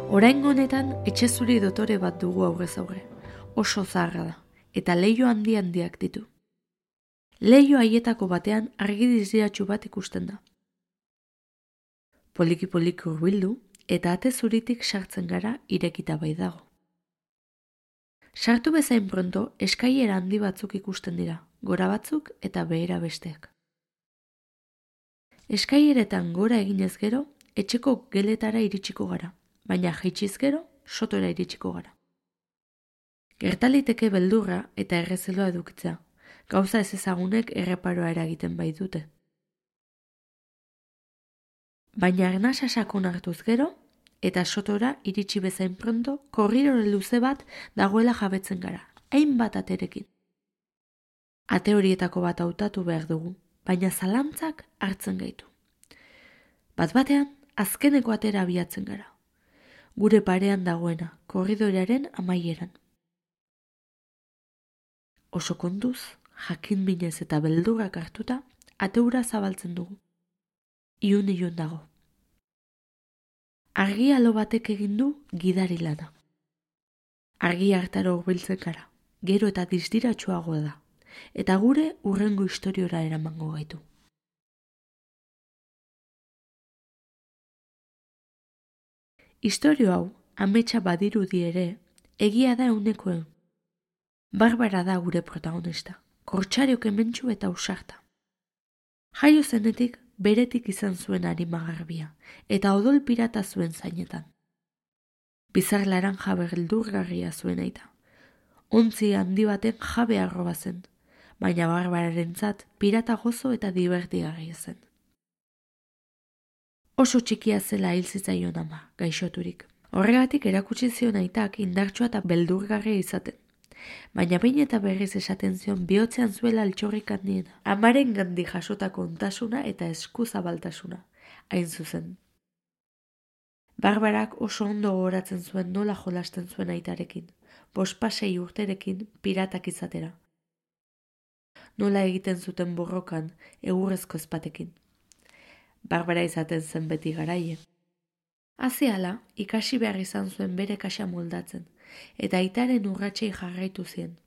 Oraingo honetan etxe zuri dotore bat dugu aurrez aurre. Oso zaharra da, eta leiho handiak ditu. Leiho haietako batean argi diziratsu bat ikusten da. Poliki hurbildu eta ate zuritik sartzen gara irekita bai dago. Sartu bezain pronto eskailera handi batzuk ikusten dira, gora batzuk eta behera besteak. Eskaileretan gora eginez gero, etxeko geletara iritsiko gara, baina jaitsiz gero, sotora iritsiko gara. Gertaliteke beldurra eta errezeloa edukitzea, gauza ez ezagunek erreparoa eragiten bai dute. Baina arnasa sakon hartuz gero, eta sotora iritsi bezain pronto, korridore luze bat dagoela jabetzen gara, hainbat aterekin. Ate horietako bat hautatu behar dugu, baina zalantzak hartzen gaitu. Bat-batean, azkeneko atera abiatzen gara. Gure parean dagoena, korridorearen amaieran. Oso kontuz, jakin minez eta beldurrak hartuta, ateura zabaltzen dugu. Ilun dago. Argi alo batek egin du gidari lana. Argi hartara hurbiltzen gara, gero eta distiratsuagoa da, eta gure hurrengo istoriora eramango gaitu. Istorio hau, ametsa badirudi ere, egia da ehunekoen. Barbara da gure protagonista, kortxariok hementsu eta ausarta. Jaio zenetik, beretik izan zuen arimagarbia, eta odol pirata zuen zainetan. Bizar laranja beldurgarria zuen aita. Ontzi handi baten jabe arroba zen, baina Barbararentzat pirata gozo eta divertigarria zen. Oso txikia zela hil zitzaion ama, gaixoturik. Horregatik erakutsi zion aitak indartsua eta beldurgarria izaten. Baina behin eta berriz esaten zion bihotzean zuela altxorrik handiena. Amaren gandi jasotako ontasuna eta eskuzabaltasuna, hain zuzen. Barbarak oso ondo gogoratzen zuen nola jolasten zuen aitarekin, 5-6 urterekin piratak izatera. Nola egiten zuten borrokan, egurrezko ezpatekin. Barbara izaten zen beti garaie. Haziala, ikasi behar izan zuen bere kaxa moldatzen, eta aitaren urratsei jarraitu zien.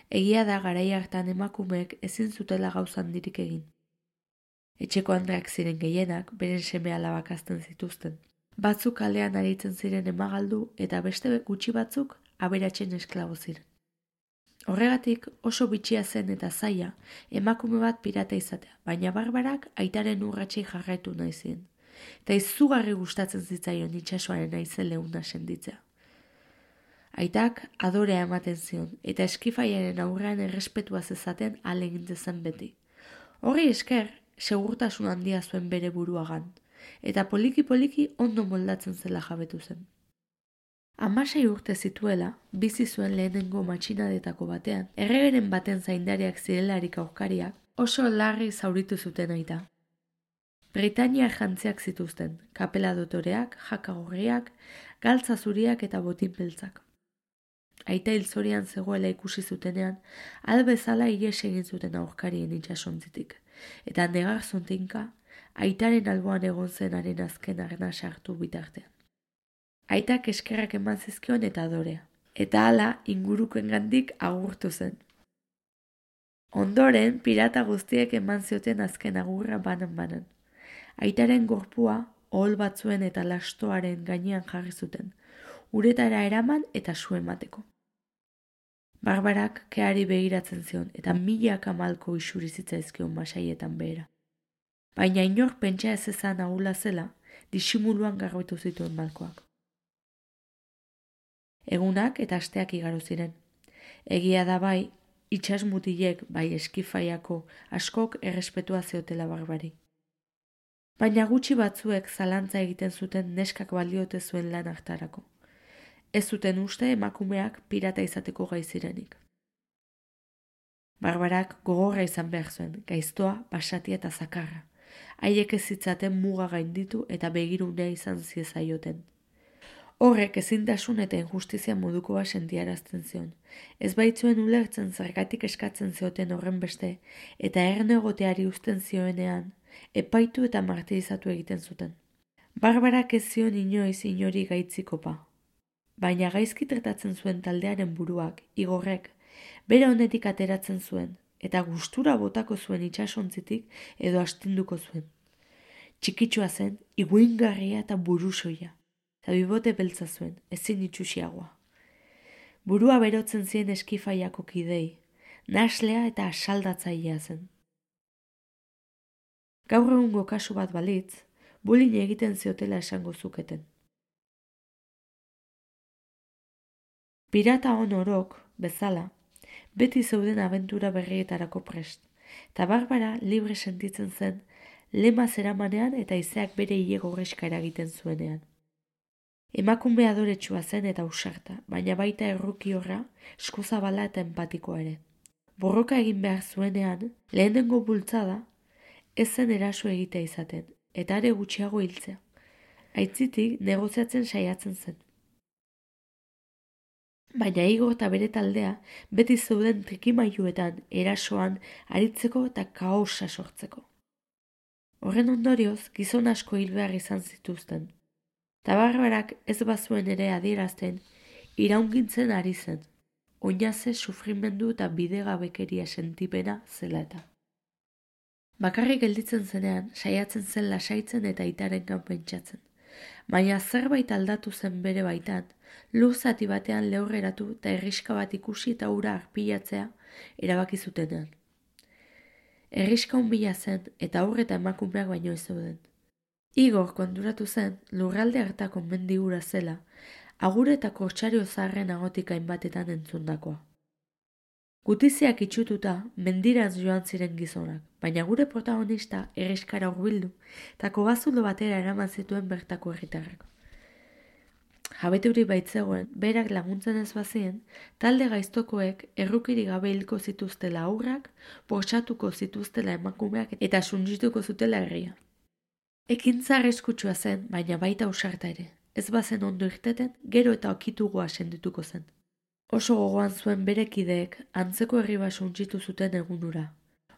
Egia da garai hartan emakumeek ezin zutela gauza handirik egin. Etxeko andreak ziren gehienak, beren seme alabak hazten zituzten. Batzuk kalean aritzen ziren emagaldu eta beste gutxi batzuk aberatsen esklabo ziren. Horregatik oso bitxia zen eta zaila emakume bat pirata izatea, baina Barbarak aitaren urratsei jarraitu nahi zien. Eta izugarri gustatzen zitzaion itsasoaren haize leuna senditzea. Aitak adorea ematen zion eta eskifaiaren aurrean errespetua zezaten ahalegin zen beti. Horri esker, segurtasun handia zuen bere buruagan, eta poliki ondo moldatzen zela jabetu zen. 16 urte zituela, bizi zuen lehenengo matxinadetako batean, erregeren baten zaindariak zirelarik aurkariak, oso larri zauritu zuten aita. Britaniar jantziak zituzten, kapela dotoreak, jaka gorriak, galtza zuriak eta botin beltzak. Aita hilzorian zegoela ikusi zutenean, albezala ihes egin zuten aurkarien itsasontzitik, eta negar zontinka, aitaren alboan egon zenaren azken arnasa hartu bitartean. Aitak eskerrak eman zizkion eta adorea, eta hala ingurukoengandik agurtu zen. Ondoren, pirata guztiek eman zioten azken agurra banan. Aitaren gorpua, ohol batzuen eta lastoaren gainean jarri zuten, uretara eraman eta su emateko. Barbarak keari begiratzen zion eta milaka malko isuri zitzaizkion masaietan behera. Baina inor pentsa ez ezan ahula zela, disimuluan garbitu zituen malkoak. Egunak eta asteak igaro ziren. Egia da bai, itsasmutilek bai eskifaiako askok errespetua ziotela Barbari. Baina gutxi batzuek zalantza egiten zuten neskak baliote zuen lan hartarako. Ez zuten uste emakumeak pirata izateko gai zirenik. Barbarak gogorra izan behar zuen, gaiztoa, basatia eta zakarra. Haiek ez zitzaten muga gainditu eta begirunea izan ziezaioten. Horrek ezintasun eta injustizia modukoa sentiarazten zion. Ez baitzuen ulertzen zergatik eskatzen zioten horren beste, eta erne egoteari uzten zioenean, epaitu eta martirizatu egiten zuten. Barbarak ez zion inoiz inori gaitzikopa. Baina gaizki tratatzen zuen taldearen buruak, Igorrek, bere honetik ateratzen zuen, eta gustura botako zuen itsasontzitik edo astinduko zuen. Txikitsua zen, iguingarria eta burusoia, eta bibote beltza zuen, ezin itxusiagoa. Burua berotzen zien eskifaiako kidei, naslea eta asaldatzailea zen. Gaur egungo kasu bat balitz, bullying egiten ziotela esango zuketen. Pirata on orok, bezala, beti zeuden abentura berrietarako prest, eta Barbara libre sentitzen zen, lema zeramanean eta izeak bere hile gorreska eragiten zuenean. Emakume adoretsua zen eta ausarta, baina baita errukiorra, eskuzabala eta empatikoa ere. Borroka egin behar zuenean, lehenengo bultzada, ez zen eraso egitea izaten, eta are gutxiago hiltzea. Aitzitik negoziatzen saiatzen zen. Baina Igor eta bere taldea beti zeuden trikimailuetan erasoan aritzeko eta kaosa sortzeko. Horren ondorioz, gizon asko hil behar izan zituzten. Ta Barbarak ez bazuen ere adierazten, iraungintzen ari zen. Oinaze sufrimendu eta bidegabekeria sentipena zela eta. Bakarrik gelditzen zenean, saiatzen zen lasaitzen eta aitarengan pentsatzen. Baina zerbait aldatu zen bere baitan, lur zati batean lehorreratu eta herriska bat ikusi eta ura arpilatzea erabaki zutenean. Herriska hunbila zen eta haur eta emakumeak baino ez zeuden. Igor konturatu zen lurralde hartako mendi ura zela, agur eta kortsario zaharren agotik hainbatetan entzundakoa. Gutiziak itxututa mendiraz joan ziren gizonak, baina gure protagonista herriskara hurbildu eta kobazulo batera eraman zituen bertako herritarrak. Jabeturi baitzegoen, berak laguntzen ez bazien, talde gaiztokoek errukiri gabe hilko zituztela aurrak, bortxatuko zituztela emakumeak eta suntsituko zutela herria. Ekintza arriskutsua zen, baina baita ausarta ere. Ez bazen ondo irteten, gero eta okitugoa sendituko zen. Oso gogoan zuen bere kideek antzeko herri bat suntsitu zuten egunura.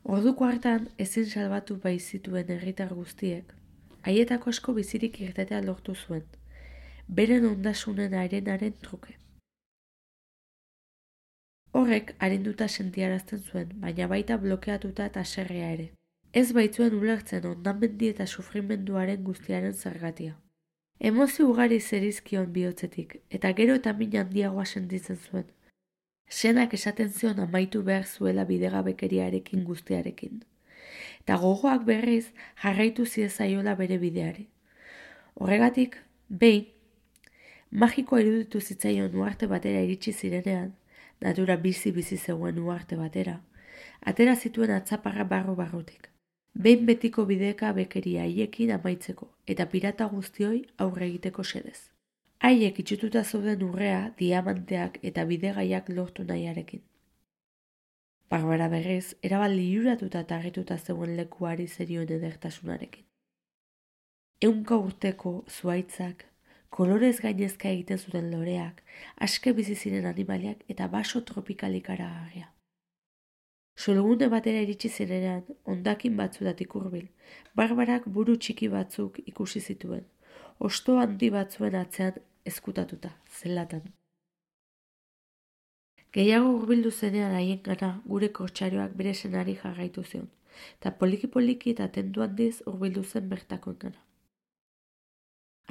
Orduko hartan ezin salbatu baitzituen herritar guztiek, haietako asko bizirik irtetea lortu zuen, beren ondasunen arenaren truke. Horrek arinduta sentiarazten zuen, baina baita blokeatuta eta haserrea ere. Ez baitzuen ulertzen hondamendi eta sufrimenduaren guztiaren zergatia. Emozio ugari zerizkion bihotzetik, eta gero eta min handiagoa sentitzen zuen. Senak esaten zion amaitu behar zuela bidegabekeriarekin guztiarekin. Eta gogoak berriz jarraitu ziezaiola bere bideari. Horregatik, behin, magikoa iruditu zitzaion uarte batera iritsi zirenean, natura bizi zegoen uarte batera, atera zituen atzaparra barrutik. Behin betiko bideka bekeria haiekin amaitzeko eta pirata guztioi aurre egiteko xedez. Haiek itxututa zeuden urrea, diamanteak eta bidegaiak lortu nahiarekin. Barbara berriz, erabat liluratuta eta harrituta zegoen lekuari zerioen edertasunarekin. 100 urteko zuhaitzak, kolorez gainezka egiten zuten loreak, aske bizi ziren animaliak eta baso tropikalik aragarria. Solgune batera iritsi zirenean, hondakin batzutatik hurbil, Barbarak buru txiki batzuk ikusi zituen, hosto handi batzuen atzean ezkutatuta, zelatan. Gehiago hurbildu zenean haiengana gure kortsarioak bere senari jarraitu zion, eta poliki-poliki eta tendu handiz hurbildu zen bertakoengana.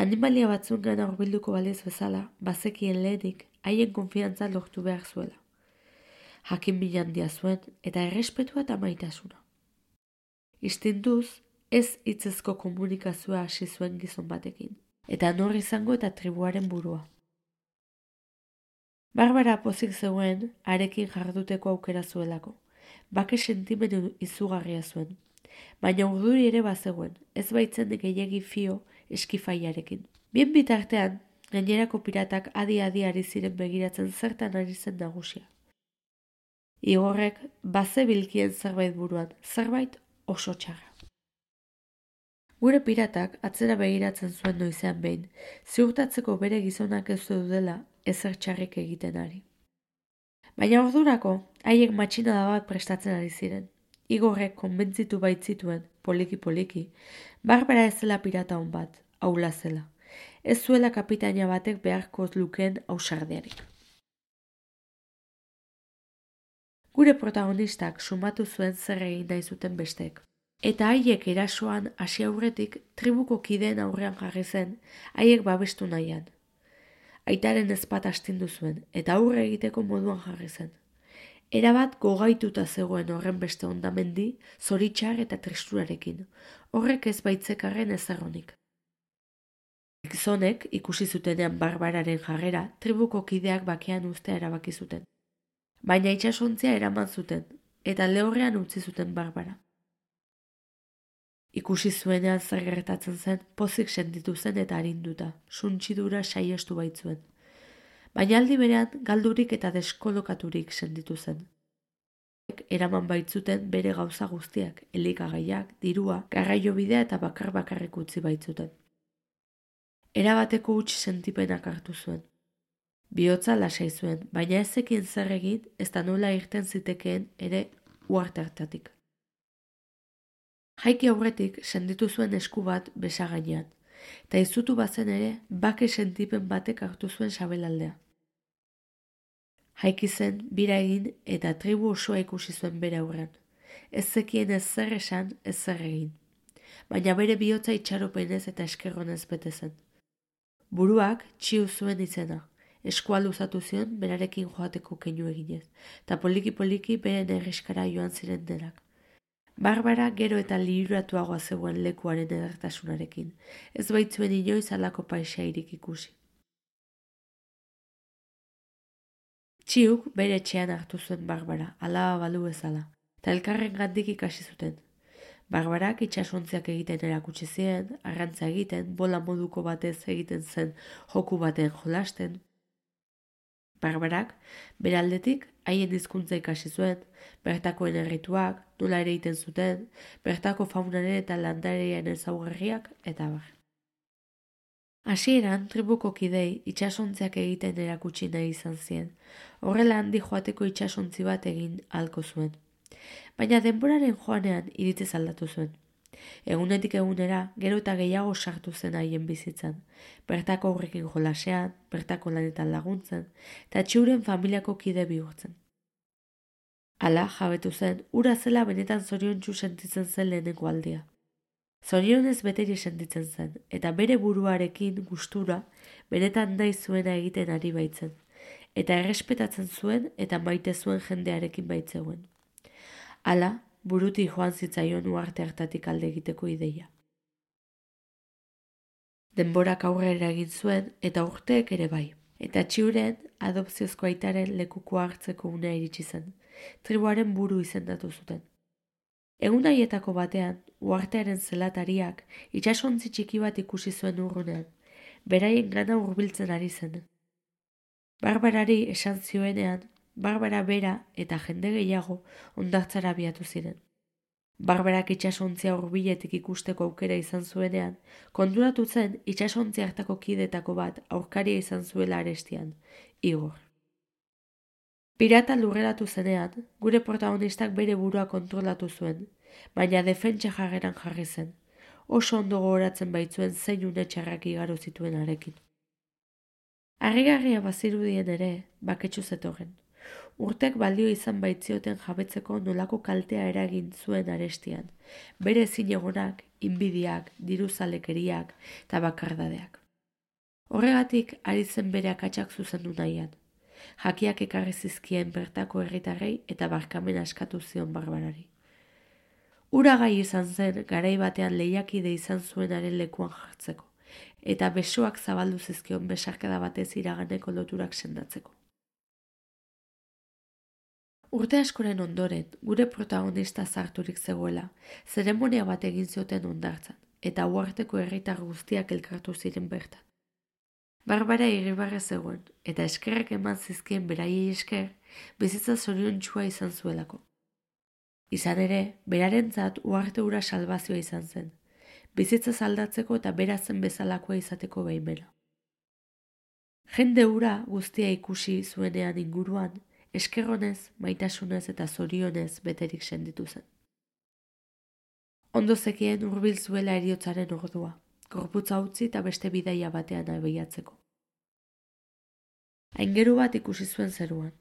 Animalia batzuengana hurbilduko baliz bezala, bazekien lehenik haien konfiantza lortu behar zuela. Jakin min handia zuen eta errespetua eta maitasuna. Istintuz, ez hitzezko komunikazioa hasi zuen gizon batekin, eta nor izango eta tribuaren burua. Barbara pozik zegoen harekin jarduteko aukera zuelako, bake sentimendu izugarria zuen, baina urduri ere bazegoen, ez baitzen gehiegi fio eskifaiarekin. Bien bitartean, gainerako piratak adi-adi ari ziren begiratzen zertan ari zen nagusia. Igorrek bazebilkien zerbait buruan, zerbait oso txarra. Gure piratak atzera begiratzen zuen noizean behin, ziurtatzeko bere gizonak ez zeudela ezer txarrik egiten ari. Baina ordurako, haiek matxinada bat prestatzen ari ziren. Igorrek konbentzitu baitzituen, poliki-poliki, Barbara ez zela pirata hon bat, aula zela. Ez zuela kapitaina batek beharko lukeen ausardiarik. Gure protagonistak sumatu zuen zer egin nahi zuten besteek. Eta haiek erasoan hasi aurretik tribuko kideen aurrean jarri zen, haiek babestu nahian. Aitaren ezpat astindu zuen, eta aurre egiteko moduan jarri zen. Erabat gogaituta zegoen horren beste hondamendi, zoritxar eta tristurarekin. Horrek ez baitzekarren ezarronik. Gizonek ikusi zutenean Barbararen jarrera, tribuko kideak bakean uztea erabaki zuten. Baina itsasontzia eraman zuten, eta lehorrean utzi zuten Barbara. Ikusi zuenean zer gertatzen zen, pozik sentitu zen eta arinduta, suntxidura saiestu baitzuen. Baina aldi berean galdurik eta deskolokaturik sentitu zen. Eraman baitzuten bere gauza guztiak, elikagaiak, dirua, garraiobidea eta bakar-bakarrik utzi baitzuten. Erabateko huts sentipenak hartu zuen. Bihotza lasai zuen, baina ez zekien zer egin, ez da nola irten zitekeen ere uharte hartatik. Jaiki aurretik senditu zuen esku bat besa gainean, eta izutu bazen ere bake sentipen batek hartu zuen sabelaldea. Jaiki zen, bira egin eta tribu osoa ikusi zuen bere aurrean. Ez zekien ez zer esan, ez zer egin. Baina bere bihotza itxaropenez eta eskerronez bete zen. Buruak txiu zuen izena, eskua luzatu zion berarekin joateko keinu eginez, eta poliki-poliki beren erriskara joan ziren denak. Barbara gero eta liruratuagoa zegoen lekuaren edertasunarekin, ez baitzuen inoiz halako paisairik ikusi. Txiuk bere etxean hartu zuen Barbara, alaba balu bezala, eta elkarren gandik ikasi zuten. Barbarak itsasontziak egiten erakutsi zien, arrantza egiten, bola moduko batez egiten zen joku baten jolasten. Barbarak, bere aldetik, haien hizkuntza ikasi zuen, bertakoen errituak, nola ere egiten zuten, bertako faunaren eta landarearen ezaugarriak, eta bar. Hasieran, tribuko kidei itsasontziak egiten erakutsi nahi izan zien, horrela handi joateko itsasontzi bat egin ahalko zuen. Baina denboraren joanean iritziz aldatu zuen. Egunetik egunera, gero eta gehiago sartu zen haien bizitzan, bertako aurrekin jolasean, bertako lanetan laguntzen, eta txiuren familiako kide bihurtzen. Hala, jabetu zen, ura zela benetan zoriontsu sentitzen zen lehenengo aldia. Zorionez beteri sentitzen zen, eta bere buruarekin gustura benetan nahi zuena egiten ari baitzen, eta errespetatzen zuen eta maite zuen jendearekin baitzeuen. Hala, burutik joan zitzaion uharte hartatik alde egiteko ideia. Denborak aurrera egin zuen eta urteek ere bai, eta txiuren adopziozko aitaren lekuko hartzeko unea iritsi zen, tribuaren buru izendatu zuten. Egun haietako batean, uhartearen zelatariak itsasontzi txiki bat ikusi zuen urrunean, beraien gana hurbiltzen ari zen. Barbarari esan zioenean, Barbara bera eta jende gehiago hondartzara abiatu ziren. Barbarak itsasontzia hurbiletik ikusteko aukera izan zuenean, konturatu zen itsasontzi hartako kidetako bat aurkaria izan zuela arestian, Igor. Pirata lurreratu zenean, gure protagonistak bere burua kontrolatu zuen, baina defentsa jarreran jarri zen, oso ondo gogoratzen baitzuen zein une txarrak igaro zituen harekin. Harrigarria bazirudien ere, baketsu zetorren. Urtek baldio izan baitzioten jabetzeko nolako kaltea eragin zuen arestian, bere ezinegonak, inbidiak, diruzalekeriak eta bakardadeak. Horregatik ari zen bere akatsak zuzendu nahian. Jakiak ekarri zizkien bertako herritarrei eta barkamena eskatu zion Barbarari. Ura gai izan zen garai batean lehiakide izan zuenaren lekuan jartzeko, eta besoak zabaldu zizkion besarkada batez iraganeko loturak sendatzeko. Urte askoren ondoren, gure protagonista zarturik zegoela, zeremonia bat egin zioten hondartzan, eta uharteko herritar guztiak elkartu ziren bertan. Barbara irribarre zegoen, eta eskerrak eman zizkien beraiei esker, bizitza zoriontsua izan zuelako. Izan ere, berarentzat uharte hura salbazioa izan zen, bizitza aldatzeko eta bera zen bezalakoa izateko baimena. Jende hura guztia ikusi zuenean inguruan, eskerronez, maitasunez eta zorionez beterik senditu zen. Ondo zekien hurbil zuela heriotzaren ordua, gorputza utzi eta beste bidaia batean abiatzeko. Aingeru bat ikusi zuen zeruan.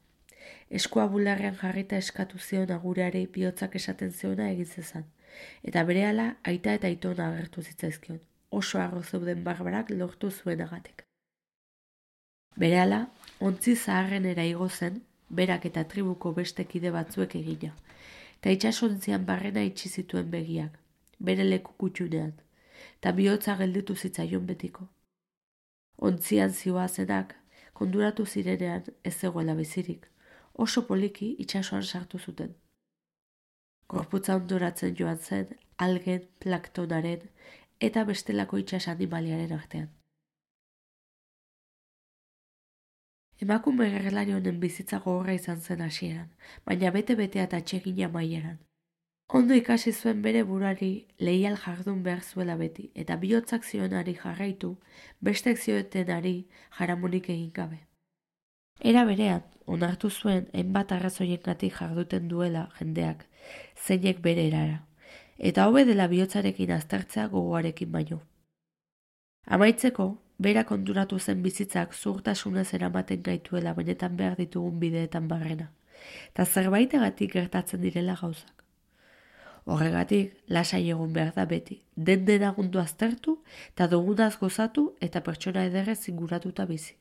Eskua bularrean jarrita eskatu zion agureari bihotzak esaten ziona egin zezan, eta berehala aita eta aitona agertu zitzaizkion, oso harro zeuden Barbarak lortu zuenagatik. Berehala, ontzi zaharrenera igo zen, berak eta tribuko beste kide batzuek egina, eta itsasontzian barrena itxi zituen begiak, bere leku kutxunean, eta bihotza gelditu zitzaion betiko. Ontzian zihoazenak, konduratu zirenean ez zegoela bizirik, oso poliki itsasoan sartu zuten. Gorputza ondoratzen joan zen, algen, planktonaren eta bestelako itsas animaliaren artean. Emakume gerlari honen bizitza gogorra izan zen hasieran, baina bete-betea eta atsegina amaieran. Ondo ikasi zuen bere buruari leial jardun behar zuela beti, eta bihotzak zionari jarraitu, bestek ziotenari jaramonik egin gabe. Era berean, onartu zuen hainbat arrazoiengatik jarduten duela jendeak, zeinek bere erara, eta hobe dela bihotzarekin aztertzea gogoarekin baino. Amaitzeko, bera konturatu zen bizitzak zuhurtasunez eramaten gaituela benetan behar ditugun bideetan barrena, eta zerbaitegatik gertatzen direla gauzak. Horregatik, lasai egon behar da beti, den denagundu aztertu eta dugunaz gozatu eta pertsona ederrez inguratuta bizi.